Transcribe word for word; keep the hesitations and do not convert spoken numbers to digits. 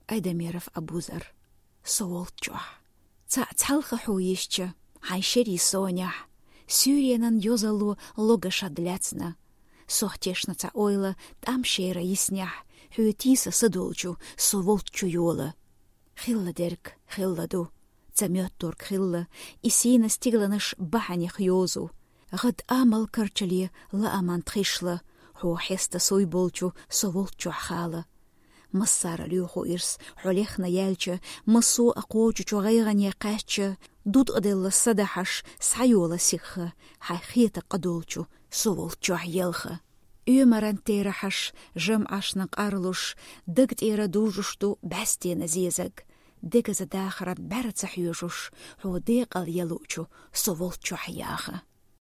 Айдамиров Абузар. Со волччохь. Цхьа цхьалха хьо йисча, хьайн шерий сонехь, суьйренан йозалло лога шад лаьцна. Сох тешна цхьа ойла тӀам шера йиснехь, хьоьтийса са долчу со волччу йола. Хилла дерг хилла ду, ца моьттург хилла, и сийна стигланаш бахьанех йозу. ГӀад амал карчале лааман тхишла, хьо хьеста суй болчу со волччохь хала. Массара лоьху ирс, хьо лехна яьлча, массо а кхочучу гӀайгӀане кхаьчча, дутӀаделла са дахьаш, схьайола сихха, хьайн хета къа долчу со волччохь елха. Оьмаран терахьаш, жамӀашна къарлуш, даг тӀера дужуш ду бӀаьстенан зезаг. Дегаза дахаран бӀаьра ца хьоьжуш, хьо декъал ялучу со волччохь яха.